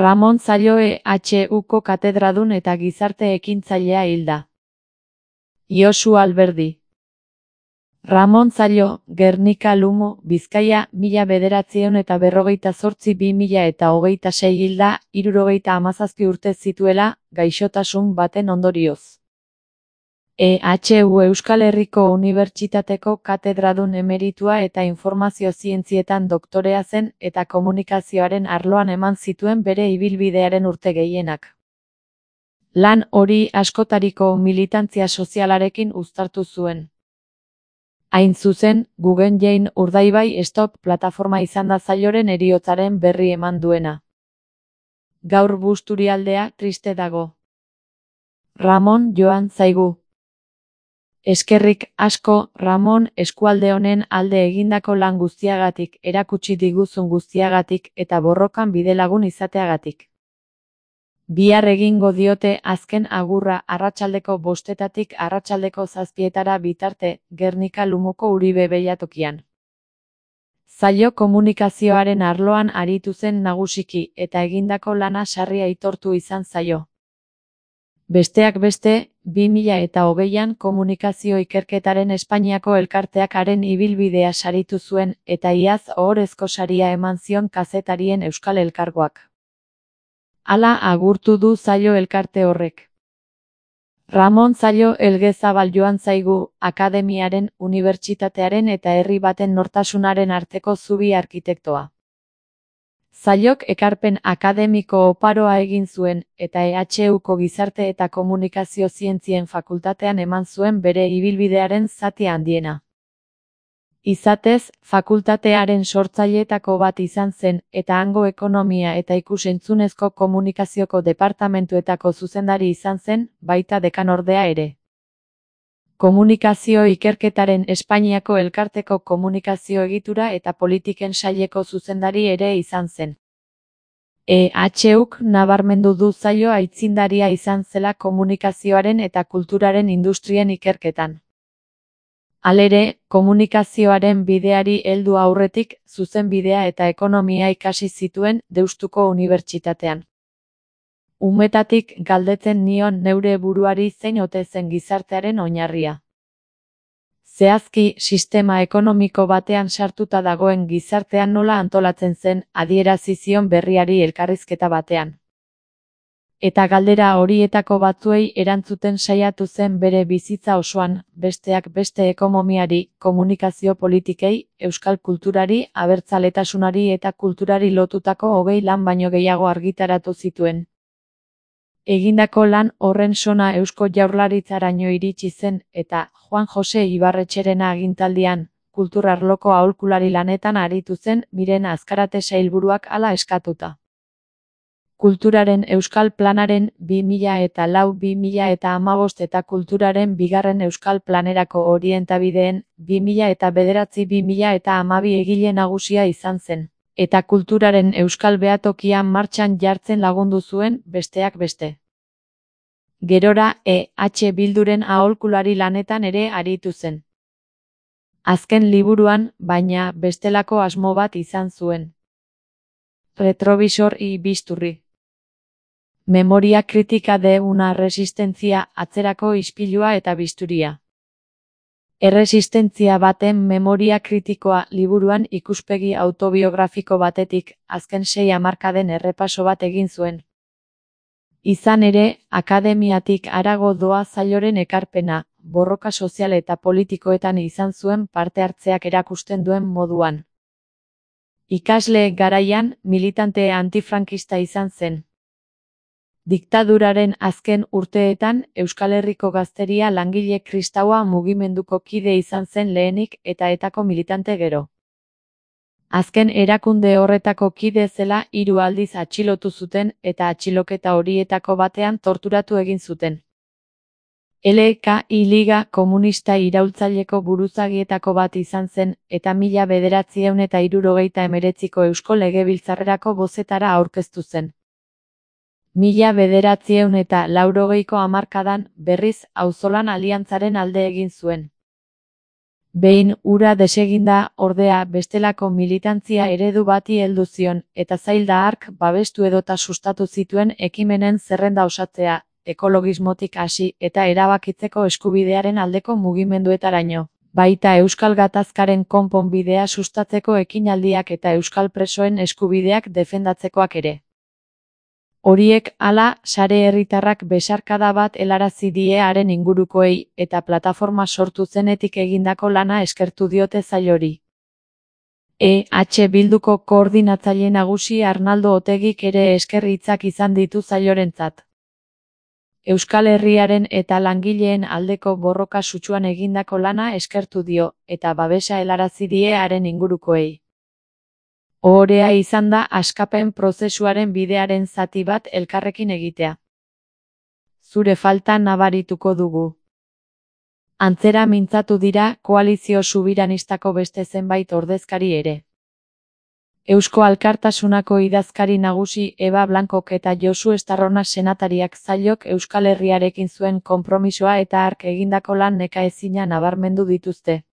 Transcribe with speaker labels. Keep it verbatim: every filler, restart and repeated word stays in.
Speaker 1: Ramon Zallo E H Uko katedradun eta gizarte ekintzailea hilda. Josu Alberdi. Ramon Zallo, Gernika Lumo, Bizkaia, mila bederatziehun eta berrogeita zortzi bi mila eta hogeita sei hilda, hirurogeita hamazazpi urte zituela, gaixotasun baten ondorioz. E H U Euskal Herriko Unibertsitateko katedradun emeritua eta informazio zientzietan doktorea zen eta komunikazioaren arloan eman zituen bere ibilbidearen urte gehienak. Lan hori askotariko militantzia sozialarekin uztartu zuen. Hain zuzen, Guggenheim Urdaibai Stop plataforma izan da Zalloren heriotzaren berri eman duena. Gaur Busturialdea triste dago. Ramon joan zaigu. Eskerrik asko, Ramon, eskualde honen alde egindako lan guztiagatik, erakutsi diguzun guztiagatik eta borrokan bidelagun izateagatik. Bihar egingo diote azken agurra arratsaldeko bostetatik arratsaldeko zazpietara bitarte, Gernika Lumoko Uribe Beilatokian. Zallo komunikazioaren arloan aritu zen nagusiki eta egindako lana sarri aitortu izan zaio. Besteak beste, bi mila eta hogeian komunikazio ikerketaren Espainiako elkarteak haren ibilbidea saritu zuen eta iaz ohorezko saria eman zion kazetarien Euskal Elkargoak. Hala agurtu du Zallo elkarte horrek. Ramon Zallo Elgezabal joan zaigu, akademiaren, unibertsitatearen eta herri baten nortasunaren arteko zubi arkitektoa. Zallok ekarpen akademiko oparoa egin zuen, eta E H Uko gizarte eta komunikazio zientzien fakultatean eman zuen bere ibilbidearen zati handiena. Izatez, fakultatearen sortzaileetako bat izan zen, eta hango ekonomia eta ikus-entzunezko komunikazioko departamentuetako zuzendari izan zen, baita dekanordea ere. Komunikazio ikerketaren Espainiako elkarteko komunikazio egitura eta politiken saileko zuzendari ere izan zen. E H Uk nabarmendu du Zallo aitzindaria izan zela komunikazioaren eta kulturaren industrien ikerketan. Halere, komunikazioaren bideari heldu aurretik, zuzenbidea eta ekonomia ikasi zituen Deustuko Unibertsitatean. Umetatik galdetzen nion neure buruari zein ote zen gizartearen oinarria. Zehazki, sistema ekonomiko batean sartuta dagoen gizartean nola antolatzen zen, adierazi zion berriari elkarrizketa batean. Eta galdera horietako batzuei erantzuten saiatu zen bere bizitza osoan, besteak beste ekonomiari, komunikazio politikei, euskal kulturari, abertzaletasunari eta kulturari lotutako hogei lan baino gehiago argitaratu zituen. Egindako lan horren sona Eusko Jaurlaritzaraino iritsi zen eta Juan Jose Ibarretxerena agintaldian, kultur arloko aholkulari lanetan aritu zen Miren Azkarate sailburuak hala eskatuta. Kulturaren Euskal Planaren bi mila eta lau bi mila eta hamabost eta Kulturaren bigarren Euskal Planerako orientabideen bi mila eta bederatzi bi mila eta hamabi egile nagusia izan zen. Eta kulturaren Euskal Behatokia martxan jartzen lagundu zuen, besteak beste. Gerora, E H Bilduren aholkulari lanetan ere aritu zen. Azken liburuan, baina, bestelako asmo bat izan zuen. Retrovisor y Bisturri. Memoria kritika de una resistentzia, atzerako ispilua eta bisturia. Erresistentzia baten memoria kritikoa liburuan ikuspegi autobiografiko batetik, azken sei hamarkaden errepaso bat egin zuen. Izan ere, akademiatik harago doa Zalloren ekarpena, borroka sozial eta politikoetan izan zuen parte hartzeak erakusten duen moduan. Ikasle garaian, militante antifrankista izan zen. Diktaduraren azken urteetan, Euskal Herriko Gazteria langile kristaua mugimenduko kide izan zen lehenik eta etako militante gero. Azken erakunde horretako kide zela hiru aldiz atxilotu zuten eta atxiloketa horietako batean torturatu egin zuten. L K I Liga komunista iraultzaileko buruzagietako bat izan zen eta mila bederatziehun eta hirurogeita hemeretziko Eusko Legebiltzarrerako bozetara aurkeztu zen. Mila bederatziehun eta laurogeiko hamarkadan berriz auzolan aliantzaren alde egin zuen. Behin ura deseginda, ordea, bestelako militantzia eredu bati heldu zion, eta zail da hark babestu edota sustatu zituen ekimenen zerrenda osatzea, ekologismotik hasi eta erabakitzeko eskubidearen aldeko mugimenduetaraino. Baita Euskal Gatazkaren konponbidea sustatzeko ekinaldiak eta euskal presoen eskubideak defendatzekoak ere. Horiek, hala, sare herritarrak besarkada bat helarazi die haren ingurukoei, eta plataforma sortu zenetik egindako lana eskertu diote sailori. E H Bilduko koordinatzaile nagusi Arnaldo Otegik ere esker hitzak izan ditu sailorentzat. Euskal Herriaren eta langileen aldeko borroka sutsuan egindako lana eskertu dio, eta babesa helarazi die haren ingurukoei. Ohorea izan da askapen prozesuaren bidearen zati bat elkarrekin egitea. Zure falta nabarituko dugu. Antzera mintzatu dira koalizio subiranistako beste zenbait ordezkari ere. Eusko Alkartasunako idazkari nagusi Eba Blancok eta Josu Estarrona senatariak sailok Euskal Herriarekin zuen konpromisoa eta hark egindako lan nekaezina nabarmendu dituzte.